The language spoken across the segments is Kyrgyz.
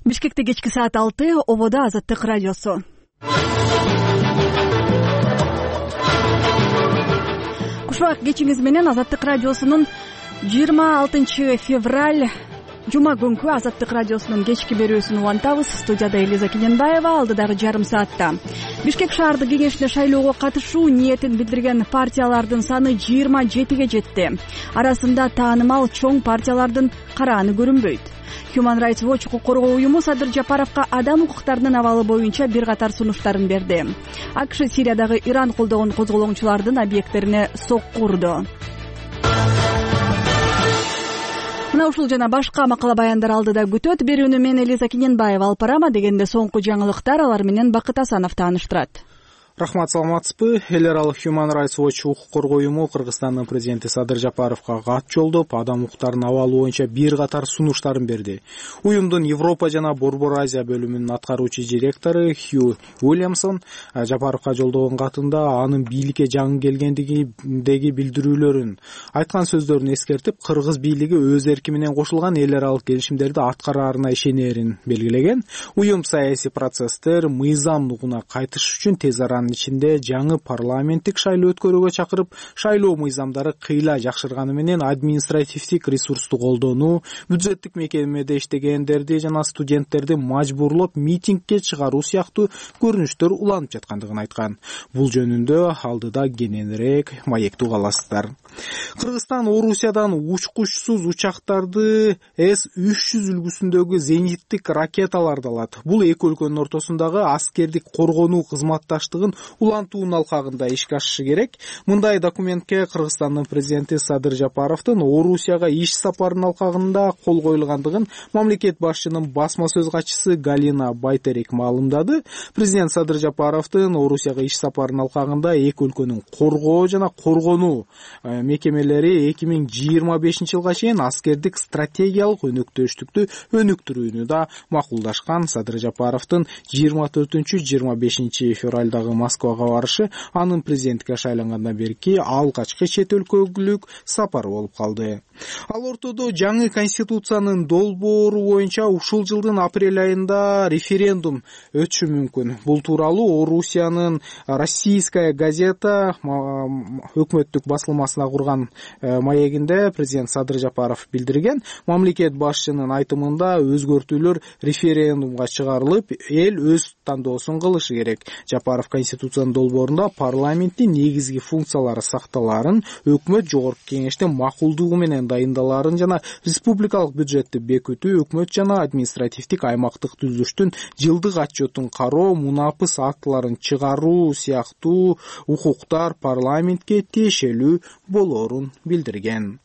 Бишкекте кечки саат 6, ободо Азаттык радиосу. Кушбак кечиңиз менен Азаттык радиосунун 26 февраль жума күнкү Азаттык радиосунун кечки берүүсүн улантабыз. Студияда Элиза Кененбаева, алдыдагы жарым саатта Бишкек шаардык кеңешине шайлоого катышуу ниетин билдирген партиялардын саны 27ге жетти. Арасында таанымал чоң партиялардын карааны көрүнбөйт. Human Rights Watch укук коргоо уюму Садыр Жапаровго адам укуктарынын абалы боюнча бир катар сунуштарын берди. АКШ Сириядагы Иран колдогон козголоңчулардын объекттерине сокку урду. Мына ушул жана башка макала баяндар алдыда күтөт. Берүүнү мен Элиза Кененбаева алып барам. Дегенде соңку жаңылыктар, алар менен Бакыт Асанов тааныштырат. Рахмат, саламатсызбы? Эл аралык Human Rights Watch укук коргоо уюму Кыргызстандын президенти Садыр Жапаровго кат жолдоп, адам укуктарынын абалы боюнча бир катар сунуштарын берди. Уюмдун Европа жана Борбор Азия бөлүмүнүн аткаруучу директору Хью Уильямсон Жапаровго жолдогон катында анын бийликке жаңы келгендигиндеги билдирүүлөрүн айткан сөздөрүн эскертип, кыргыз бийлиги өз эрки менен кошулган эл аралык келишимдерди аткараарына ишенерин белгилеген. Уюм саясий процесстер мыйзамдуулугуна кайтыш үчүн тез арада ичинде жаңы парламенттик шайлоо өткөрүүгө чакырып, шайлоо мыйзамдары кыйла жакшырганы менен административдик ресурсту колдонуу, бюджеттик мекемеде иштегендерди жана студенттерди мажбурлоп митингге чыгаруу сыяктуу көрүнүштөр уланып жаткандыгын айткан. Бул жөнүндө алдыда кененирээк маекти уга аласыздар. Кыргызстан Орусиядан учкучсуз учактарды С-300 үлгүсүндөгү зениттик ракеталарды алат. Бул эки өлкөнүн ортосундагы аскердик коргонуу кызматташтыгын улантуунун алкагында ишке ашышы керек. Мындай документке Кыргызстандын президенти Садыр Жапаровдун Орусияга иш сапарынын алкагында кол коюлгандыгын мамлекет башчынын басма сөз катчысы Галина Байтерек маалымдады. Президент Садыр Жапаровдун Орусияга иш сапарынын алкагында эки өлкөнүн коргоо жана коргонуу мекемелери 2025 жылга чейин аскердик стратегиялык өнөктөштүктү өнүктүрүүнү да макулдашкан. Садыр Жапаровдун 24-25 февралдагы Москвага барышы анын президенттикке шайлангандан берки алгачкы чет өлкөлүк сапары болуп калды. Ал ортодо жаңы конституциянын долбоору боюнча ушул жылдын апрель айында референдум өтүшү мүмкүн. Бул тууралуу Орусиянын Российская газета өкмөттүк басылмасына курган маегинде президент Садыр Жапаров билдирген. Мамлекет башчынын айтымында өзгөртүүлөр референдумга чыгарылып, эл өз тандоосун кылышы керек. Жапаров конституциянын долбоорунда парламенттин негизги функциялары сакталаарын, өкмөт жогорку кеңештин макулдугу менен дайындалаарын жана республикалык бюджетти бекитүү, өкмөт жана административдик аймактык түзүлүштүн жылдык отчетун кароо, мунапыс актыларын чыгаруу сыяктуу укуктар парламентке тиешелүү болоорун билдирген.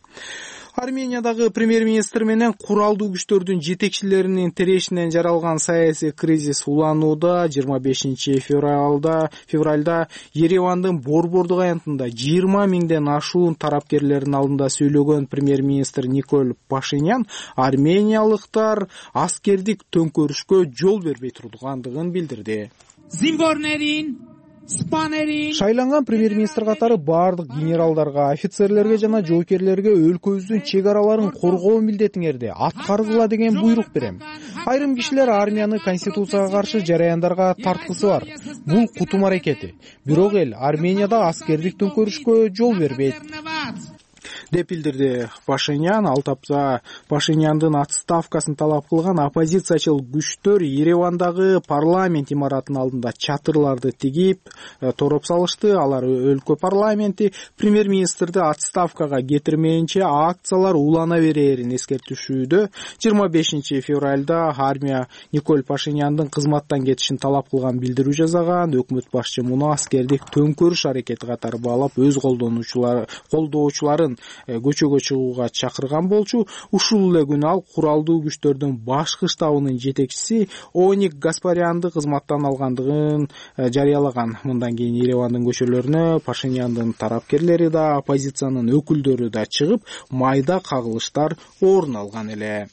Армениядагы премьер-министр менен куралдуу күчтөрдүн жетекчилеринин тирешинен жаралган саясий кризис уланууда. 25 февралда Еревандын Борбордук аянтында 20 миңден ашуун тарапкерлердин алдында сөйлөгөн премьер-министр Николь Пашинян армениялыктар аскердик төңкөрүшкө жол бербей тургандыгын билдирди. Шайланган премьер-министр катары баардык генералдарга, офицерлерге жана жоокерлерге өлкөбүздүн чек араларын коргоо милдетиңерди аткаргыла деген буйрук берем. Айрым кишилер армияны конституцияга каршы жараяндарга тарткысы бар. Бул кутум аракети. Бирок эл Арменияда аскердик төңкөрүшкө жол бербейт деп билдирди Пашинян. Ал тапса Пашиняндын отставкасын талап кылган оппозициячыл күчтөр Еревандагы парламент имаратынын алдында чатырларды тигип тороп салышты. Алар өлкө парламенти премьер-министрди отставкага кетирмейинче акциялар улана берерин эскертишүүдө. 25 февралда армия Николь Пашиняндын кызматтан кетишин талап кылган билдирүү жасаган. Өкмөт башчы муну аскердик төңкөрүш аракети катары баалап, өз колдоочуларын көчөгө чыгууга чакырган болчу. Ушул эле күнү ал куралдуу күчтөрдүн башкы штабынын жетекчиси Оник Гаспарянды кызматтан алгандыгын жарыялаган. Мындан кийин Еревандын көчөлөрүнө Пашиняндын тарапкерлери да, оппозициянын өкүлдөрү да чыгып, майда кагылыштар орун алган эле.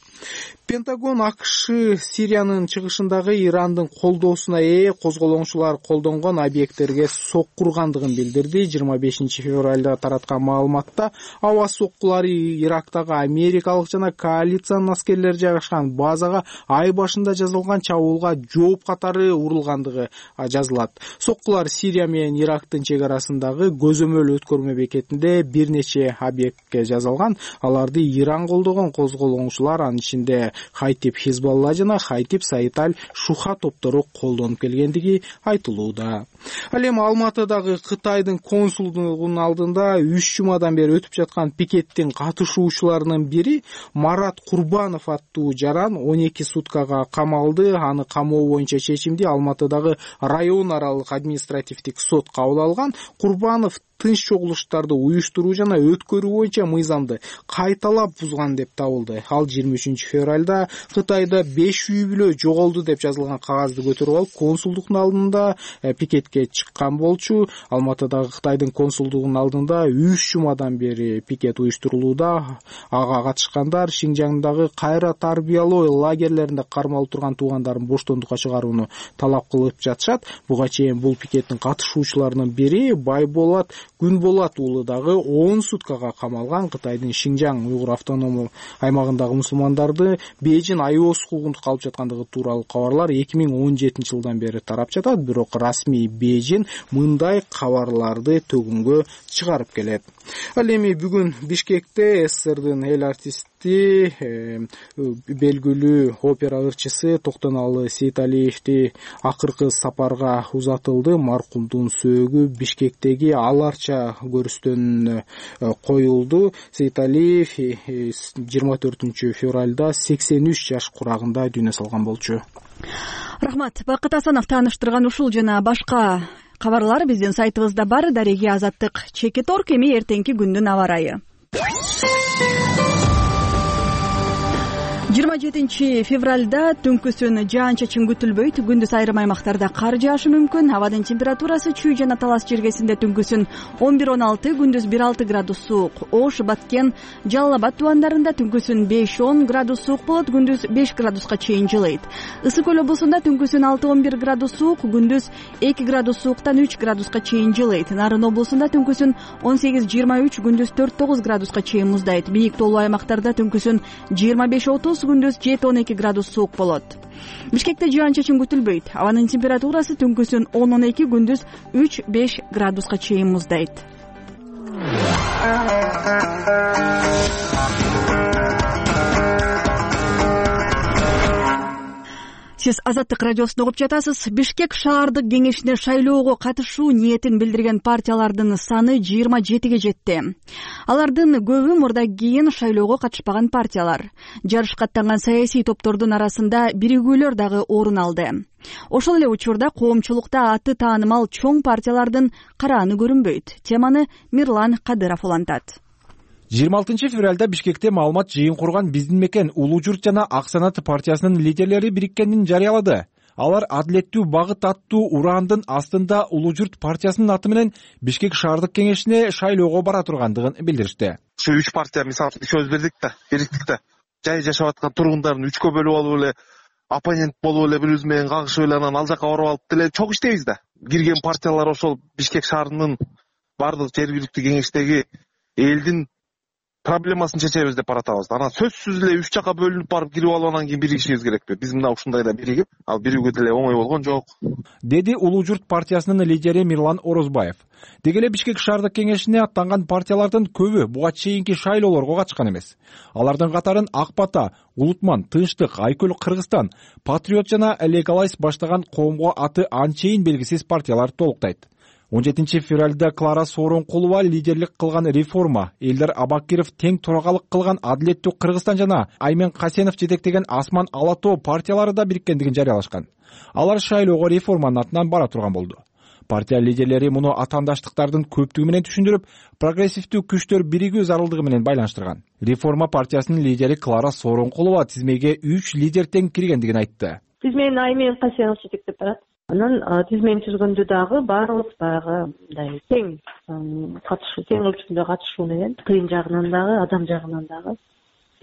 Пентагон АКШ Сириянын чыгышындагы Ирандын колдоосуна ээ козголоңчулар колдонгон объекттерге сокку ургандыгын билдирди. 25 февралда тараткан маалыматта аба соккулары Ирактагы америкалык жана коалициянын аскерлери жайгашкан базага ай башында жазылган чабуулга жооп катары урулгандыгы жазылат. Соккулар Сирия менен Ирактын чек арасындагы көзөмөл өткөрмө бекетинде бир нече объектке жазылган. Аларды Иран колдогон козголоңчулар, анын ичинде Хайтип Хизбалла жана Хайтип Саиталь Шуха топтору колдонуп келгендиги айтылууда. Ал эми Алматыдагы Кытайдын консулдугунун алдында 3 жумадан бери өтүп жаткан пикеттин катышуучуларынын бири Марат Курбанов аттуу жаран 12 суткага камалды. Аны камоо боюнча чечимди Алматыдагы район аралык административдик сот кабыл алган. Курбанов тынч чогулуштарды уюштуруу жана өткөрүү боюнча мыйзамды кайталап бузган деп табылды. Ал 23 февралда Кытайда 5 үй бүлө жоголду деп жазылган кагазды көтөрүп алып консулдуктун алдында пикетке чыккан болчу. Алматыдагы Кытайдын консулдугунун алдында 3 жумадан бери пикет уюштурулууда. Ага катышкандар Шинжаңдагы кайра тарбиялоо лагерлеринде кармалып турган туугандарын боштондукка чыгарууну талап кылып жатышат. Буга чейин бул пикеттин катышуучуларынын бири Байболот Күнболот уулу дагы 10 суткага камалган. Кытайдын Шинжаң уйгур автономдук аймагындагы мусулмандарды Бейжин айоос хукугунда калып жаткандыгы тууралуу кабарлар 2017 жылдан бери тарап жатат, бирок расмий Бейжин мындай кабарларды төгүнгө чыгарып келет. Ал эми бүгүн Бишкекте СССРдын эл артисти, белгилүү опера ырчысы Токтоналы Сейталиевди акыркы сапарга узатылды. Маркумдун сөөгү Бишкектеги аларча көрүстөн коюлду. Сейталиев 24 февралда 83 жаш курагында дүйнө салган болчу. Рахмат. Бакыт Асанов тааныштырган ушул жана башка кабарлар биздин сайтыбызда бар. Дареги Азаттык Чекиторг. Эми эртеңки күндүн аба ырайы. 27 февралда түнкүсүн жаан-чачын күтүлбөйт. Күндүз айрым аймактарда кар жаашы мүмкүн. Абадын температурасы Чүй жана Талас жергесинде түнкүсүн 11-16, күндүз 1-6 градус суук. Ош, Баткен, Жалал Абад тубандарында түнкүсүн 5-10 градус суук болот, күндүз 5 градуска чейин жылыйт. Ысык көл облусунда түнкүсүн 6-11 градус суук, күндүз 2 градус сууктан 3 градуска чейин жылыйт. Нарын облусунда түнкүсүн 18-23, күндүз 4-9 градуска чейин муздайт. Бийик тоолуу аймактарда түнкүсүн 25-30, күндүз 7-12 градус суук болот. Бишкекте жаан-чачын күтүлбөйт. Абанын температурасы түнкүсүн 10-12, күндүз 3-5 градуска чейин муздайт. Сиз Азаттык радиосун угуп жатасыз. Бишкек шаардык кеңешине шайлоого катышуу ниетин билдирген партиялардын саны 27ге жетти. Алардын көбү мурда кийин шайлоого катышпаган партиялар. Жарышка аттанган саясий топтордун арасында биригүүлөр дагы орун алды. Ошол эле учурда коомчулукта аты таанымал чоң партиялардын карааны көрүнбөйт. Теманы Мирлан Кадыров улантат. 26 февралда Бишкекте маалымат жыйын курган Биздин мекен Улуу Журт жана Ак Санат партиясынын лидерлери бириккенин жарыялады. Алар адилеттүү багыт аттуу урандын астында Улуу Журт партиясынын аты менен Бишкек шаардык кеңешине шайлоого бара тургандыгын билдиришти. Ушу 3 партия мисалы сөз бердик да, бириктикте. Жай жашап аткан тургундарын 3кө бөлүп алып эле оппонент болуп эле бири-бирибиз менен кагышып эле анан ал жака барып алып деле чок иштейбиз да. Кирген партиялар ошол Бишкек шаарынын бардык жергиликтүү кеңештеги элдин проблемасын чечебиз деп баратабыз. Анан сөзсүз эле 3 жака бөлүнүп барып кирип алып анан кийин биригишибиз керекпи? Биз мына ушундайда биригип, ал биригүүгө деле оңой болгон жок. Деди Улуу Журт партиясынын лидери Мирлан Орозбаев. Деги эле Бишкек шаардык кеңешине аттанган партиялардын көбү буга чейинки шайлоолорго катышкан эмес. Алардын катарын Ак Бата, Улутман, Тынчтык, Айкөл Кыргызстан, Патриот жана Легалайз баштаган коомго аты анчейин белгисиз партиялар толуктайт. 17 февралда Клара Сооронкулова лидерлик кылган Реформа, Элдар Абакиров тең төрагалык кылган Адилеттүү Кыргызстан жана Аймен Касенов жетектеген Асман Алатоо партиялары да бириккендигин жарыялашкан. Алар шайлоого Реформанын атынан бара турган болду. Партия лидерлери муну атаандаштыктардын көптүгү менен түшүндүрүп, прогрессивдүү күчтөр биригүү зарылдыгы менен байланыштырган. Реформа партиясынын лидери Клара Сооронкулова тизмеге 3 лидер тең киргендигин айтты. Тизмени Аймен Касенов жетектеп барат. Анан тизмени түзгөндө дагы баарыбыз баягы мындай тең катышуу, тең өлчөмдө катышуу менен тыйын жагынан дагы, адам жагынан дагы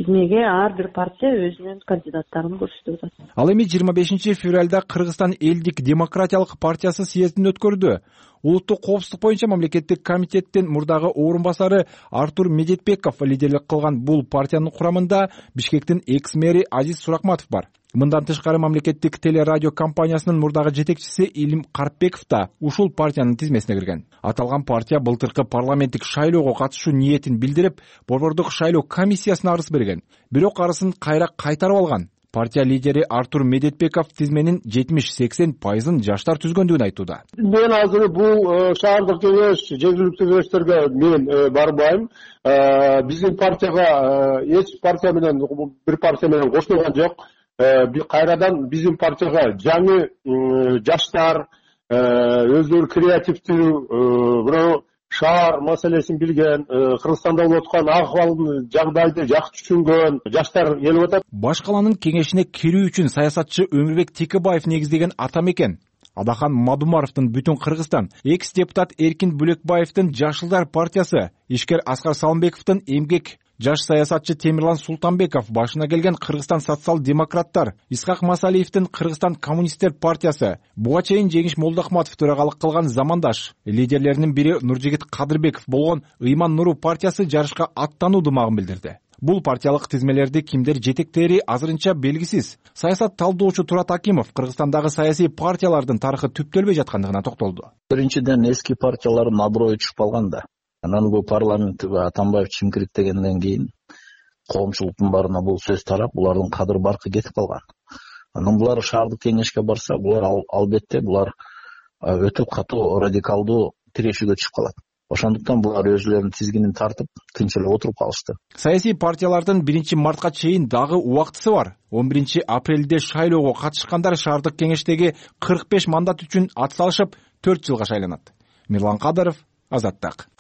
тизмеге ар бир партия өзүнүн кандидаттарын көрсөтүп атат. Ал эми 25 февралда Кыргызстан элдик демократиялык партиясы съездин өткөрдү. Улуттук коопсуздук боюнча мамлекеттик комитеттин мурдагы орун басары Артур Медетбеков лидерлик кылган бул партиянын курамында Бишкектин экс-мэри Азиз Суракматов бар. Мындан тышкары мамлекеттик телерадио компаниясынын мурдагы жетекчиси Илим Карпбеков да ушул партиянын тизмесине кирген. Аталган партия былтыркы парламенттик шайлоого катышуу ниетин билдирип, борбордук шайлоо комиссиясына арыз берген. Бирок арызын кайра кайтарып алган. Партия лидери Артур Медетбеков тизменин 70-80% жаштар түзгөндүгүн айтууда. Мен азыр бул шаардык кеңеш, жергиликтүү кеңештерге мен барбайм. Биздин партияга эч партия менен бир партия менен кошулган жок. Кайрадан биздин партияга жаңы жаштар, өздөрү креативдүү, бирок шаар маселесин билген, Кыргызстанда болуп аткан акыбалды, жагдайды жакшы түшүнгөн жаштар келип атат. Баш калаанын кеңешине кирүү үчүн саясатчы Өмүрбек Текебаев негиздеген атамекен Адахан Мадумаровдун Бүтүн Кыргызстан, экс-депутат Эркин Бүлөкбаевдин Жашылдар партиясы, ишкер Аскар Салымбековдун Эмгек, жаш саясатчы Темирлан Султанбеков башына келген Кыргызстан социал-демократтар, Исхак Масалиевдин Кыргызстан коммунисттер партиясы, буга чейин Жеңиш Молдохматов төрагалык кылган Замандаш лидерлеринин бири Нуржигит Кадырбеков болгон Ыйман Нуру партиясы жарышка аттануу дымагын билдирди. Бул партиялык тизмелерди кимдер жетектери азырынча белгисиз. Саясат талдоочу Турат Акимов Кыргызстандагы саясий партиялардын тарыхы түптөлбөй жаткандыгына токтолду. Биринчиден эски партиялардын аброю түшүп калган да. Анан бул парламентке Атамбаев чимкириктегенден кийин коомчулуктун баарына бул сөз тарап, булардын кадыр баркы кетип калган. Анан булар шаардык кеңешке барса, булар албетте булар өтө катуу радикалдуу тирешүүгө түшүп калат. Ошондуктан булар өзүлөрүнүн тизгинин тартып, тынч эле отуруп калышты. Саясий партиялардын 1-мартка чейин дагы убактысы бар. 11-апрелде шайлоого катышкандар шаардык кеңештеги 45 мандат үчүн ат салышып 4 жылга шайланат. Мирлан Кадыров, Азаттык.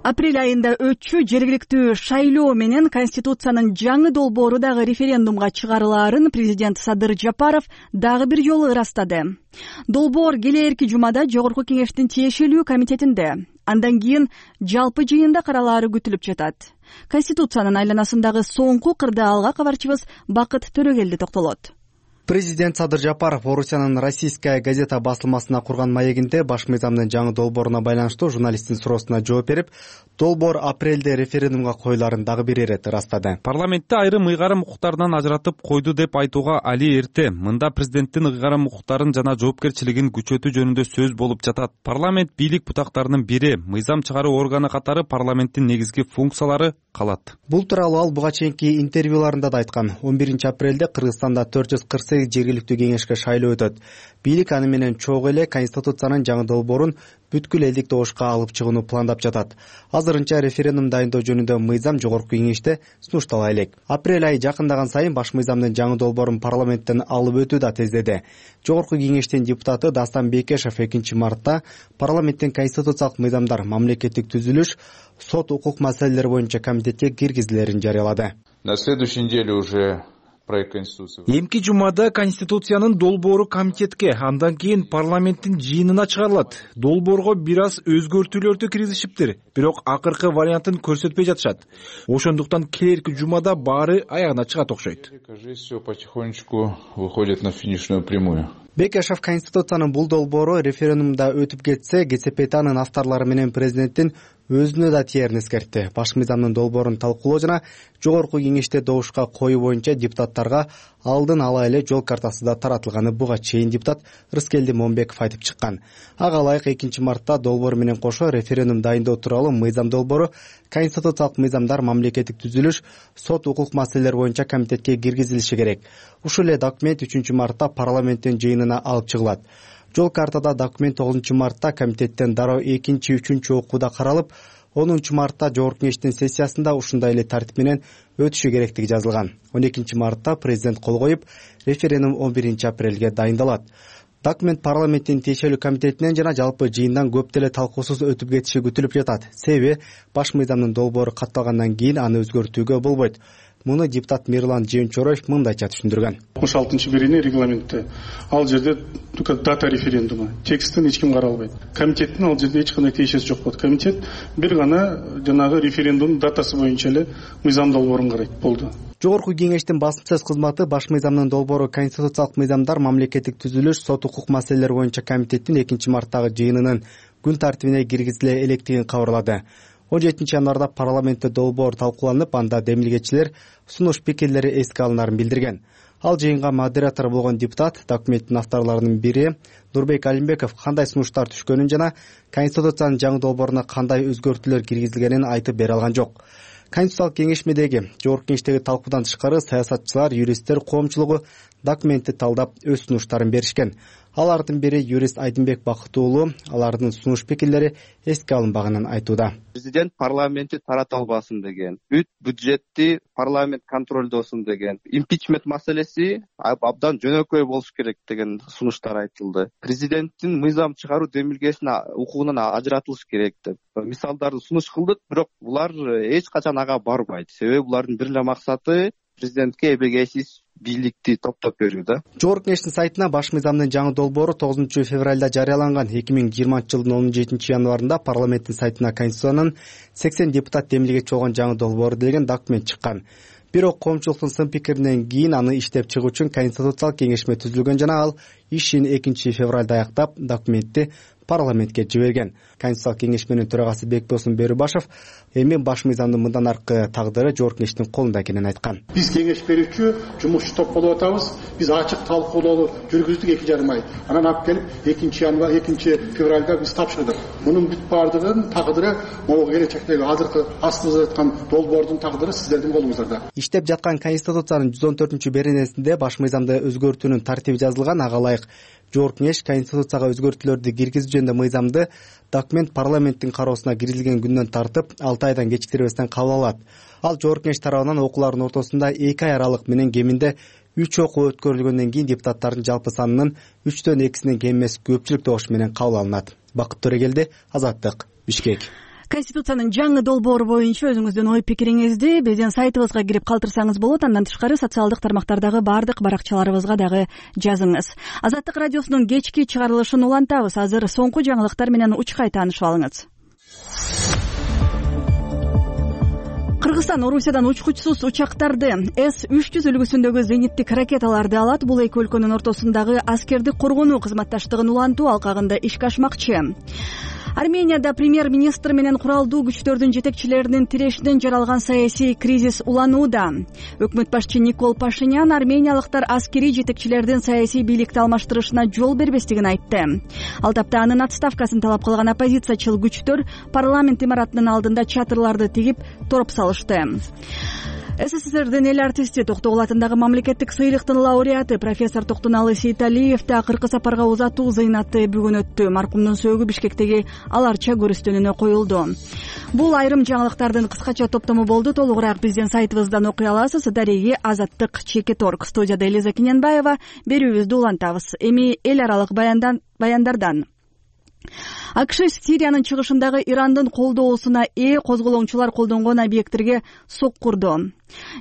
Апрель айында өтчү жергиликтүү шайлоо менен Конституциянын жаңы долбоору дагы референдумга чыгарылаарын президент Садыр Жапаров дагы бир жолу ырастады. Долбоор келээрки жумада Жогорку кеңештин тиешелүү комитетинде, андан кийин жалпы жыйында каралаары күтүлүп жатат. Конституциянын айланасындагы соңку кырдаалга кабарчыбыз Бакыт Төрөгелди токтолот. Президент Садыр Жапаров Орусиянын Российская газета басылмасына курган маегинде баш мыйзамдын жаңы долбооруна байланыштуу журналисттин суроосуна жооп берип, долбоор апрелде референдумга коюлаарын дагы бир ирет ырастады. Парламентте айрым ыйгарым укуктарынан ажыратып койду деп айтууга али эрте. Мында президенттин ыйгарым укуктарын жана жоопкерчилигин күчөтүү жөнүндө сөз болуп жатат. Парламент бийлик бутактарынын бири, мыйзам чыгаруу органы катары парламенттин негизги функциялары калат. Бул тууралуу ал буга чейинки интервьюларында да айткан. 11-апрелде Кыргызстанда 448 жергиликтүү кеңешке шайлоо өтөт. Бийлик аны менен чогуу эле Конституциянын жаңы долбоорун бүткүл элдик добушка алып чыгууну пландап жатат. Азырынча референдум дайындоо жөнүндө мыйзам Жогорку кеңеште сунуштала элек. Апрель айы жакындаган сайын баш мыйзамдын жаңы долбоорун парламенттен алып өтүү да тездеди. Жогорку кеңештин депутаты Дастан Бекешев 2-мартта парламенттин конституциялык мыйзамдар, мамлекеттик түзүлүш, сот укук маселелери боюнча комитетке киргизилерин жарыялады. На следующей неделе уже Эмки жумада Конституциянын долбоору комитетке, андан кийин парламенттин жыйынына чыгарылат. Долбоорго бир аз өзгөртүүлөрдү киргизишиптир, бирок акыркы вариантын көрсөтпөй жатышат. Ошондуктан келерки жумада баары аягына чыгат окшойт. Все потихонечку выходит на финишную прямую. Бекешев Конституциянын бул долбоору референдумда өтүп кетсе, ГСПТнын авторлору менен президенттин өзүнө да тиерин эскертти. Баш мыйзамдын долбоорун талкуулоо жана Жогорку кеңеште добушка коюу боюнча депутаттарга алдын ала эле жол картасы да таратылганы буга чейин депутат Рыскелди Момбеков айтып чыккан. Ага ылайык 2-мартта долбоор менен кошо референдум дайындоо тууралуу мыйзам долбоору конституциялык мыйзамдар, мамлекеттик түзүлүш, сот укук маселелери боюнча комитетке киргизилиши керек. Ушул эле документ 3-мартта парламенттин жыйынына алып чыгылат. Жол картада документ 9-мартта комитеттен дароо 2-3 окууда каралып, 10-мартта Жогорку кеңештин сессиясында ушундай эле тартип менен өтүшү керектиги жазылган. 12-мартта президент кол коюп, референдум 11-апрелге дайындалат. Документ парламенттин тиешелүү комитетинен жана жалпы жыйындан көп деле талкуусуз өтүп кетиши күтүлүп жатат. Себеби баш мыйзамдын долбоору катталгандан кийин аны өзгөртүүгө болбойт. Муну депутат Мирлан Жемчороев мындайча түшүндүргөн. 66-бирини регламентте ал жерде дата референдуму текстин эч ким каралбайт. Комитеттин ал жерде эч кандай тиешеси жок болот. Комитет бир гана жанагы референдумдун датасы боюнча эле мыйзам долбоорун карайт. Болду. Жогорку кеңештин басмасөз кызматы баш мыйзамдын долбоору конституциялык мыйзамдар, мамлекеттик түзүлүш, сот укук маселелери боюнча комитеттин 2-марттагы жыйынынын күн тартибине киргизиле электигин кабарлады. 17 январда парламентте долбоор талкууланып, анда демилгечилер сунуш пикирлери эске алынарын билдирген. Ал жыйынга модератор болгон депутат документтин авторлорунун бири Нурбек Алимбеков кандай сунуштар түшкөнүн жана конституциянын жаңы долбооруна кандай өзгөртүүлөр киргизилгенин айтып бере алган жок. Конституциялык кеңешмедеги жогорку кеңештеги талкуудан тышкары саясатчылар, юристтер коомчулугу документти талдап өз сунуштарын беришкен. Алардын бири юрист Айдынбек Бакытуулу алардын сунуш пикирлери эске алынбаганын айтууда. Президент парламентти тарата албасын деген, бюджетти парламент контролдосун деген, импичмент маселеси абдан жөнөкөй болуш керек деген сунуштар айтылды. Президенттин мыйзам чыгаруу демилгесин укугунан ажыратылыш керек деп мисалдарды сунуш кылдык, бирок булар эч качан ага барбайт. Себеби булардын бир эле максаты президентке эбегейсиз бийликти топтоп берүү да. Жогорку кеңештин сайтына баш мыйзамдын жаңы долбоору 9 февралда жарыяланган. 2020 жылдын 17 январында парламенттин сайтына Конституциянын 80 депутат демилгечи болгон жаңы долбоору деген документ чыккан. Бирок коомчулуктун сын пикиринен кийин аны иштеп чыгуу үчүн конституциялык кеңешме түзүлгөн жана ал ишин 2 февралда аяктап документти парламентке жиберген. Конституциялык кеңешменин төрагасы Бекбосын Берубашев эми баш мыйзамдын мындан аркы тагдыры жогорку кеңештин колунда экенин айткан. Биз кеңеш берүүчү жумушчу топ болуп атабыз. Биз ачык талкуулоо жүргүздүк 2,5 ай. Анан алып келип 2 февралда биз тапшырдык. Мунун бүт бардыгынын тагдыры могу келечектеги азыркы астыбызда жаткан долбоордун тагдыры сиздердин колуңуздарда. Иштеп жаткан Конституциянын 114-беренесинде баш мыйзамды өзгөртүүнүн тартиби жазылган. Ага ылайык жогорку кеңеш конституцияга өзгөртүүлөрдү киргизүү жөнүндө мыйзамды документ парламенттин кароосуна киргизилген күндөн тартып 6 айдан кечиктирбестен кабыл алат. Ал жогорку кеңеш тарабынан окуулардын ортосунда 2 ай аралык менен кеминде 3 окуу өткөрүлгөндөн кийин депутаттардын жалпы санынын 3/2 кем эмес көпчүлүк добуш менен кабыл алынат. Бакыт Төрегелди, Азаттык, Бишкек. Конституциянын жаңы долбоору боюнча өзүңүздүн ой пикириңизди биздин сайтыбызга кирип калтырсаңыз болот. Андан тышкары социалдык тармактардагы баардык баракчаларыбызга дагы жазыңыз. Азаттык радиосунун кечки чыгарылышын улантабыз. Азыр соңку жаңылыктар менен учкай таанышып алыңыз. Кыргызстан Орусиядан учкучсуз учактарды С-300 үлгүсүндөгү зениттик ракеталарды алат. Бул эки өлкөнүн ортосундагы аскердик коргонуу кызматташтыгын улантуу алкагында ишке ашмакчы. Арменияда премьер-министр менен куралдуу күчтөрдүн жетекчилеринин тирешинен жаралган саясий кризис уланууда. Өкмөт башчы Никол Пашинян армениялыктар аскерий жетекчилердин саясий бийликти алмаштырышына жол бербестигин айтты. Ал тапта анын отставкасын талап кылган оппозициячыл күчтөр парламент имаратынын алдында чатырларды тигип тороп салышты. СССРдин эл артисти Токтогул атындагы мамлекеттик сыйлыктын лауреаты профессор Токтуналы Сейталиев акыркы сапарга узатуу зыйнаты бүгүн өттү. Маркумдун сөөгү Бишкектеги аларча көрүстөнүнө коюлду. Бул айрым жаңылыктардын кыскача топтому болду. Толугураак биздин сайтыбыздан окуй аласыз. Дареги Азаттык Чекиторг. Студияда Элиза Кененбаева. Берүүбүздү улантабыз. Эми эл аралык баяндардан. АКШ Сириянын чыгышындагы Ирандын колдоосуна козголоңчулар колдонгон объекттерге соккурду.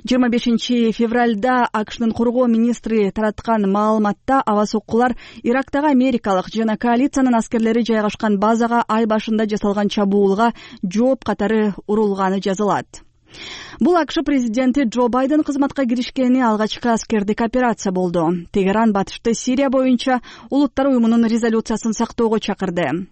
25 февралда АКШнын коргоо министри тараткан маалыматта аба соккулар Ирактагы америкалык жана коалициянын аскерлери жайгашкан базага ай башында жасалган чабуулга жооп катары урулганы жазылат. Бул АКШ президенти Джо Байден кызматка киришкени алгачкы аскердик операция болду. Тегеран батышты Сирия боюнча улуттар уюмунун резолюциясын сактоого чакырды.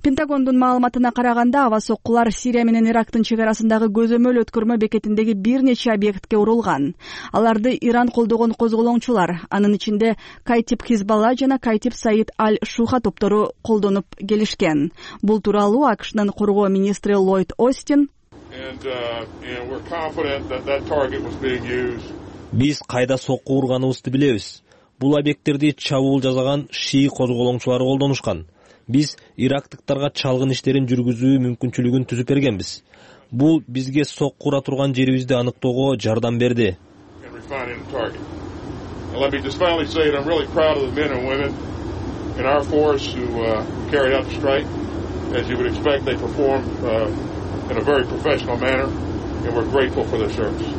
Пентагондун маалыматына караганда аба соккулар Сирия менен Ирактын чек арасындагы көзөмөл өткөрмө бекетиндеги бир нече объектке урулган. Аларды Иран колдогон козголоңчулар, анын ичинде Кайтип Хизбалла жана Кайтип Саид Аль-Шуха топтору колдонуп келишкен. Бул тууралуу АКШнын коргоо министри Ллойд Остин Биз кайда сокку урганыбызды билебиз. Бул объекттерди чабуул жасаган шии козголоңчулары колдонушкан. Биз ирактыктарга чалгын иштерин жүргүзүү мүмкүнчүлүгүн түзүп бергенбиз. Бул бизге сокку ура турган жерибизди аныктоого жардам берди. In a very professional manner, and we're grateful for their service.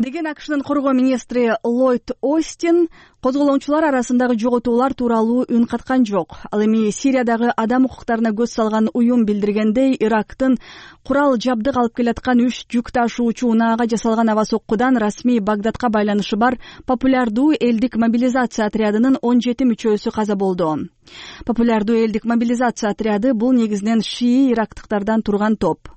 деген АКШнын коргоо министри Ллойд Остин козголоңчулар арасындагы жоготуулар тууралуу үн каткан жок. Ал эми Сириядагы адам укуктарына көз салган уюм билдиргендей, Ирактын курал жабдык алып келаткан 3 жүк ташуучу унаага жасалган аба соккудан расмий Багдадка байланышы бар популярдуу элдик мобилизация отрядынын 17 мүчөсү каза болду. Популярдуу элдик мобилизация отряды бул негизинен шии ирактыктардан турган топ.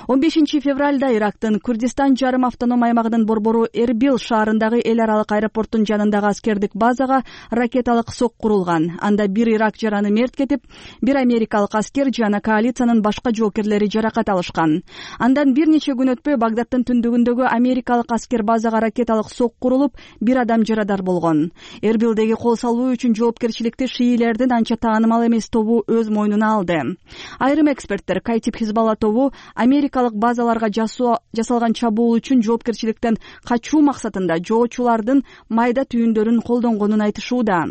15 февралда Ирактын Курдистан жарым автоном аймагынын борбору Эрбил шаарындагы эл аралык аэропорттун жанындагы аскердик базага ракеталык сок курулган. Анда бир ирак жараны мерт кетип, бир америкалык аскер жана коалициянын башка жоокерлери жаракат алышкан. Андан бир нече күн өтпөй Багдадтын түндүгүндөгү америкалык аскер базага ракеталык сок курулуп, бир адам жарадар болгон. Эрбилдеги кол салуу үчүн жоопкерчиликти шиилердин анча таанымал эмес тобу өз мойнуна алды. Айрым эксперттер Кайтип Хизбалла тобу америкалык базаларга жасалган чабуул үчүн жоопкерчиликтен качуу максатында жоочулардын майда түйүндөрүн колдонгонун айтышууда.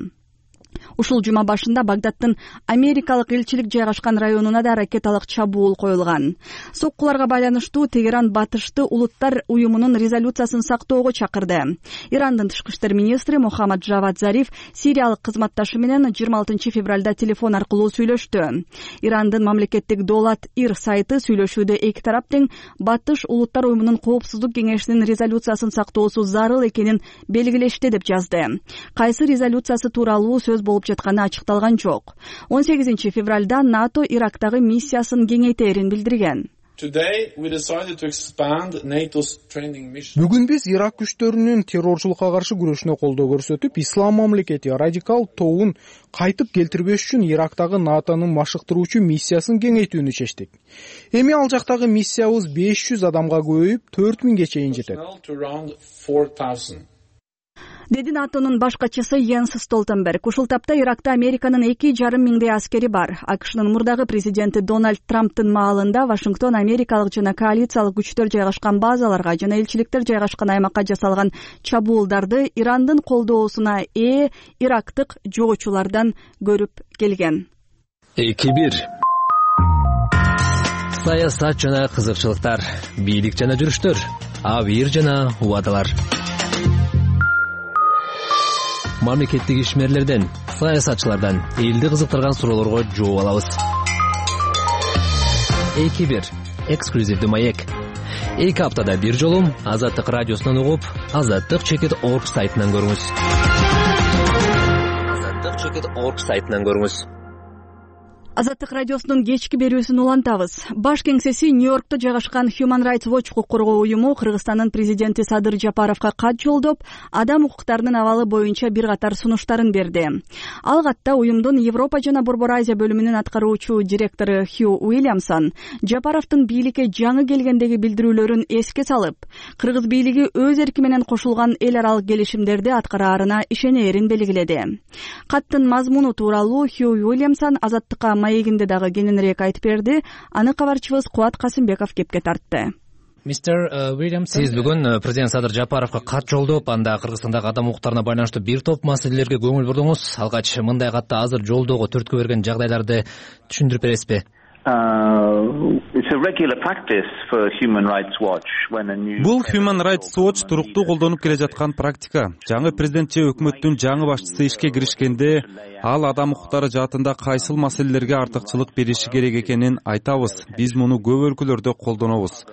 Ушул жума башында Багдадтын америкалык элчилик жайгашкан районуна да ракеталык чабуул коюлган. Соккуларга байланыштуу Тегеран Батышты улуттар уюмунун резолюциясын сактоого чакырды. Ирандын тышкы иштер министри Мохаммад Джавад Зариф сириялык кызматташы менен 26 февралда телефон аркылуу сүйлөштү. Ирандын мамлекеттик Долат Ир сайты сүйлөшүүдө эки тарап тең Батыш улуттар уюмунун коопсуздук кеңешинин резолюциясын сактоосу зарыл экенин белгилешти деп жазды. Кайсы резолюциясы тууралуу сөз болуп жатканы ачыкталган жок. 18 февралда НАТО Ирактагы миссиясын кеңейтерин билдирген. Бүгүн биз Ирак күчтөрүнүн террорчулукка каршы күрөшүнө колдоо көрсөтүп, Ислам мамлекети радикал тобун кайтып келтирбеш үчүн Ирактагы НАТОнун машыктыруучу миссиясын кеңейтүүнү чечтик. Эми ал жактагы миссиябыз 500 адамга көбөйүп, 4000ге чейин жетет. Деди НАТОнун баш катчысы Йенс Столтенберг. Ушул тапта Иракта Американын 2,5 миңдей аскери бар. АКШнын мурдагы президенти Дональд Трамптын маалында Вашингтон америкалык жана коалициялык күчтөр жайгашкан базаларга жана элчиликтер жайгашкан аймакка жасалган чабуулдарды Ирандын колдоосуна ээ ирактык жоочулардан көрүп келген. 2-1 Саясат жана кызыкчылыктар, бийлик жана жүрүштөр, абийир жана убадалар. Мамлекеттик ишмерлерден, саясатчылардан элди кызыктырган суроолорго жооп алабыз. 2-1 эксклюзивдүү маек. 2 аптада бир жолу Азаттык радиосунан угуп, azattik.org сайтынан көрүңүз. azattik.org сайтынан көрүңүз. Азаттык радиосунун кечки берүүсүн улантабыз. Баш кеңсеси Нью-Йоркто жайгашкан Human Rights Watch укук коргоо уюму Кыргызстандын президенти Садыр Жапаровго кат жолдоп, адам укуктарынын абалы боюнча бир катар сунуштарын берди. Ал катта уюмдун Европа жана Борбор Азия бөлүмүнүн аткаруучу директору Хью Уильямсон Жапаровдун бийликке жаңы келгендеги билдирүүлөрүн эске салып, кыргыз бийлиги өз эрки менен кошулган эл аралык келишимдерди аткараарына ишенээрин белгиледи. Каттын мазмуну тууралуу Хью Уильямсон Азаттыкка маегинде дагы кененирээк айтып берди. Аны кабарчыбыз Кубат Касымбеков кепке тартты. Сиз бүгүн президент Садыр Жапаровго кат жолдоп, анда Кыргызстандагы адам укуктарына байланыштуу бир топ маселелерге көңүл бурдуңуз. Алгач мындай катты азыр жолдоого түрткү берген жагдайларды түшүндүрүп бересизби? Бул Human Rights Watch туруктуу колдонуп келе жаткан практика. Жаңы президент же өкмөттүн жаңы башчысы ишке киришкенде, ал адам укуктары жаатында кайсыл маселелерге артыкчылык бериши керек экенин айтабыз. Биз муну көп өлкөлөрдө колдонобуз.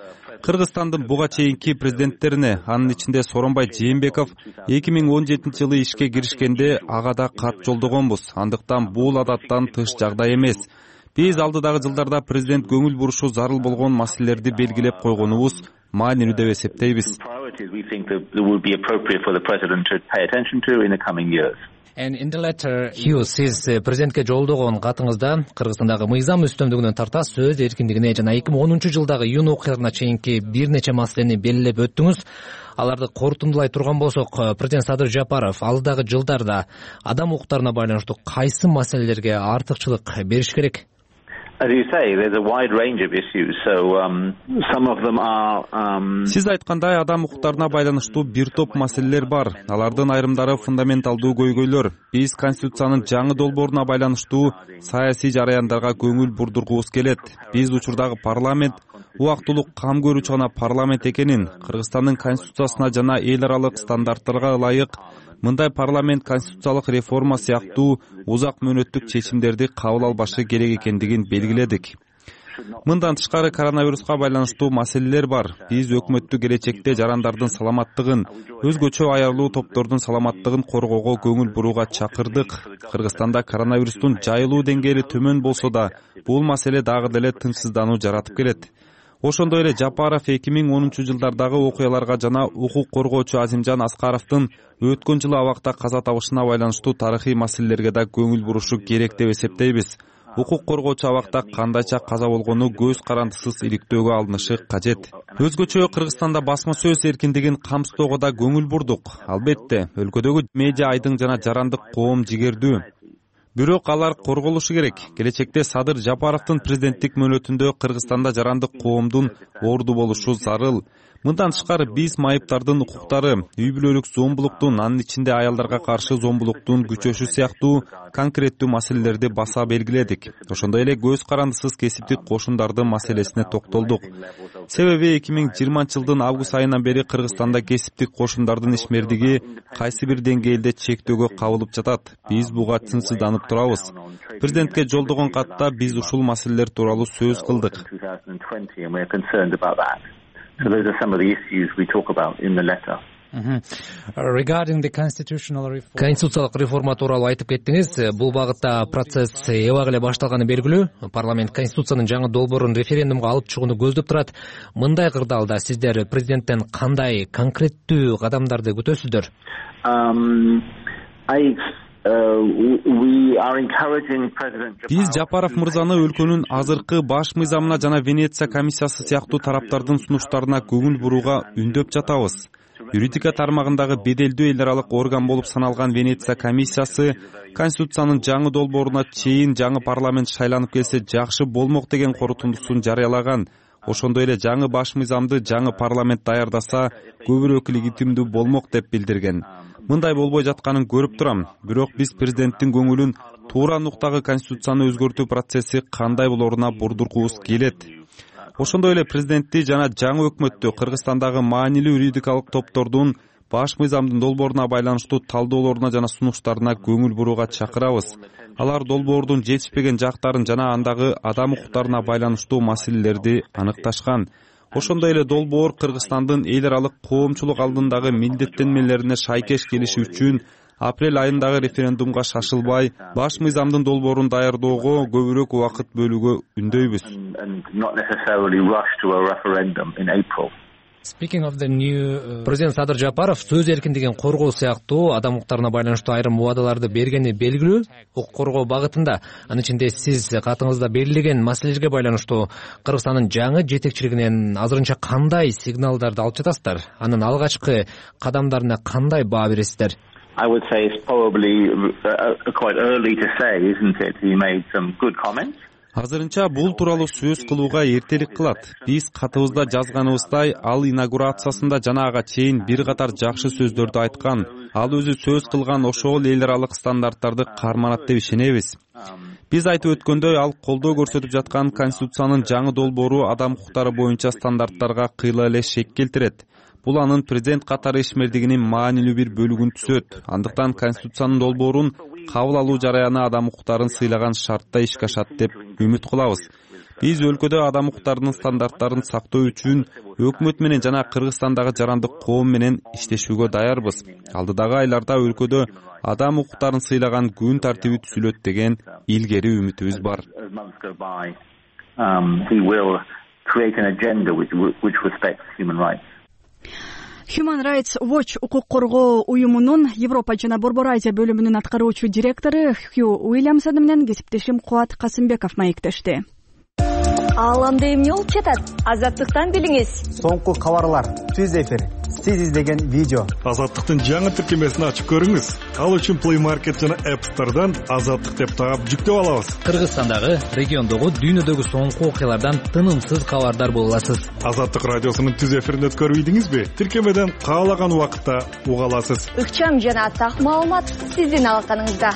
Кыргызстандын буга чейинки президенттерине, анын ичинде Сооронбай Жээнбеков 2017 жылы ишке киришкенде ага да кат жолдогонбуз. Андыктан бул адаттан тыш жагдай эмес. Биз алдыдагы жылдарда президент көңүл бурушу зарыл болгон маселелерди белгилеп койгонубуз маанилүү деп эсептейбиз. Хью, сиз президентке жолдогон катыңызда Кыргызстандагы мыйзам үстөмдүгүнөн тарта сөз эркиндигине жана 2010 жылдагы июнь окуяларына чейинки бир нече маселени белгилеп өттүңүз. Аларды корутундулай турган болсок, президент Садыр Жапаров алдыдагы жылдарда адам укуктарына байланыштуу кайсы маселелерге артыкчылык бериш керек? Сиз айткандай, адам укуктарына байланыштуу бир топ маселелер бар. Алардын айрымдары фундаменталдуу көйгөйлөр. Биз Конституциянын жаңы долбооруна байланыштуу саясий жараяндарга көңүл бурдургубуз келет. Биз учурдагы парламент убактылуу кам көрүүчү гана парламент экенин, Кыргызстандын конституциясына жана эл аралык стандарттарга ылайык мындай парламент конституциялык реформа сыяктуу узак мөөнөттүк чечимдерди кабыл албашы керек экендигин белгиледик. Мындан тышкары коронавируска байланыштуу маселелер бар. Биз өкмөттү келечекте жарандардын саламаттыгын, өзгөчө аярлуу топтордун саламаттыгын коргоого көңүл бурууга чакырдык. Кыргызстанда коронавирустун жайылуу деңгээли төмөн болсо да, бул маселе дагы деле тынчсыздануу жаратып келет. Ошондой эле Жапаров 2010-жылдардагы окуяларга жана укук коргоочу Азимжан Аскаровдун өткөн жылы абакта каза табышына байланыштуу тарыхый маселелерге да көңүл бурушу керек деп эсептейбиз. Укук коргоочу абакта кандайча каза болгону көз карандысыз иликтөөгө алынышы кажет. Өзгөчө Кыргызстанда басма сөз эркиндигин камсыздоого да көңүл бурдук. Албетте, өлкөдөгү медиа айдың жана жарандык коом жигердүү. Бирок алар корголушу керек. Келечекте Садыр Жапаровдун президенттик мөөнөтүндө Кыргызстанда жарандык коомдун орду болушу зарыл. Мындан тышкары биз майыптардын укуктары, үй бүлөлүк зомбулуктун, анын ичинде аялдарга каршы зомбулуктун күчөшү сыяктуу конкреттүү маселелерди баса белгиледик. Ошондой эле көз карандысыз кесиптик кошундардын маселесине токтолдук. Себеби 2020-жылдын август айынан бери Кыргызстанда кесиптик кошундардын ишмердиги кайсы бир деңгээлде чектөөгө кабылып жатат. Биз буга тынчсызданып турабыз. Президентке жолдогон катта биз ушул маселелер тууралуу сөз кылдык. So those are some of the issues we talk about in the letter. Regarding the constitutional reform. Конституциялык реформа тууралуу айтып кеттиңиз. Бул багытта процесс эбак эле башталганы белгилүү. Парламент конституциянын жаңы долбоорун референдумга алып чыгууну көздөп турат. Мындай кырдаалда сиздер президенттен кандай конкреттүү кадамдарды күтөсүздөр? Биз Жапаров мырзаны өлкөнүн азыркы баш мыйзамына жана Венеция комиссиясы сыяктуу тараптардын сунуштарына көңүл бурууга үндөп жатабыз. Юридика тармагындагы беделдүү эл аралык орган болуп саналган Венеция комиссиясы Конституциянын жаңы долбооруна чейин жаңы парламент шайланып келсе жакшы болмок деген корутундусун жарыялаган. Ошондой эле жаңы баш мыйзамды жаңы парламент даярдаса көбүрөөк легитимдүү болмок деп билдирген. Мындай болбой жатканын көрүп турам. Бирок биз президенттин көңүлүн туура нуктагы конституцияны өзгөртүү процесси кандай болоруна бурдургубуз келет. Ошондой эле президентти жана жаңы өкмөттү Кыргызстандагы маанилүү юридикалык топтордун баш мыйзамдын долбооруна байланыштуу талдоолоруна жана сунуштарына көңүл бурууга чакырабыз. Алар долбоордун жетишпеген жактарын жана андагы адам укуктарына байланыштуу маселелерди аныкташкан. Ошондой эле долбоор Кыргызстандын эл аралык коомчулук алдындагы милдеттенмелерине шайкеш келиши үчүн апрель айындагы референдумга шашылбай, баш мыйзамдын долбоорун даярдоого көбүрөөк убакыт бөлүүгө үндөйбүз. Президент Садыр Жапаров сөз эркиндигин коргоо сыяктуу адам укуктарына байланыштуу айрым убадаларды бергени белгилүү. Укук коргоо багытында, анын ичинде сиз катыңызда белгилеген маселелерге байланыштуу Кыргызстандын жаңы жетекчилигинен азырынча кандай сигналдарды алып жатасыздар? Анын алгачкы кадамдарына кандай баа бересиздер? I would say it's probably quite early to say, isn't it? He made some good comments. Азырынча бул тууралуу сөз кылууга эртелик кылат. Биз катыбызда жазганыбыздай, ал инаугурациясында жана ага чейин бир катар жакшы сөздөрдү айткан. Ал өзү сөз кылган ошол эл аралык стандарттарды карманат деп ишенебиз. Биз айтып өткөндөй, ал колдоо көрсөтүп жаткан Конституциянын жаңы долбоору адам укуктары боюнча стандарттарга кыйла эле шек келтирет. Бул анын президент катары ишмердигинин маанилүү бир бөлүгүн түзөт. Андыктан Конституциянын долбоорун кабыл алуу жараяны адам укуктарын сыйлаган шартта ишке ашат деп үмүт кылабыз. Биз өлкөдө адам укуктарынын стандарттарын сактоо үчүн өкмөт менен жана Кыргызстандагы жарандык коом менен иштешүүгө даярбыз. Алдыдагы айларда өлкөдө адам укуктарын сыйлаган күн тартиби түзүлөт деген илгери үмүтүбүз бар. Human Rights Watch укук коргоо уюмунун Европа жана Борбор Азия бөлүмүнүн аткаруучу директору Хью Уильямсон менен кесиптешим Кубат Касымбеков маектешти. Ал анда эмне болуп жатат? Азаттыктан билиңиз. Соңку кабарлар, түз эфир, сиз издеген видео. Азаттыктын жаңы тиркемесин ачып көрүңүз. Ал үчүн Play Market жана App Store'дан Азаттык деп таап жүктөп алабыз. Кыргызстандагы, региондогу, дүйнөдөгү соңку окуялардан тынымсыз кабардар боло аласыз. Азаттык радиосунун түз эфирин өткөрүп ийдиңизби? Тиркемеден каалаган убакытта уга аласыз. Ыкчам жана так маалымат сиздин алаканыңызда.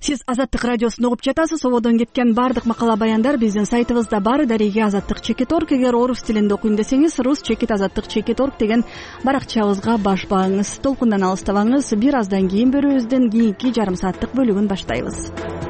Сиз Азаттык радиосун угуп жатасыз. Ободон кеткен баардык макала баяндар биздин сайтыбызда бар. Дареги azattik.org. Эгер орус тилинде окуйм десеңиз, rus-azattik.org деген баракчабызга баш багыңыз. Толкундан алыстабаңыз. Бир аздан кийин берүүбүздүн кийинки жарым сааттык бөлүгүн баштайбыз.